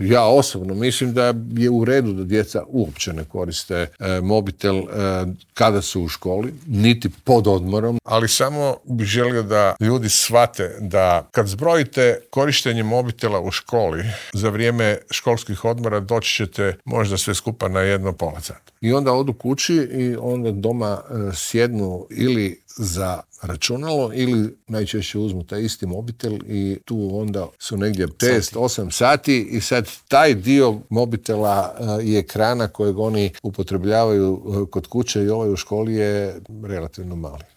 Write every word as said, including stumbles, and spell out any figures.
Ja osobno mislim da je u redu da djeca uopće ne koriste e, mobitel e, kada su u školi, niti pod odmorom. Ali samo bih želio da ljudi shvate da kad zbrojite korištenje mobitela u školi za vrijeme školskih odmora doći ćete možda sve skupa na jedno pola sata. I onda odu kući i onda doma e, sjednu ili za računalo ili najčešće uzmu taj isti mobitel i tu onda su negdje šest osam sati i sad taj dio mobitela uh, i ekrana kojeg oni upotrebljavaju uh, kod kuće i ovaj u školi je relativno mali.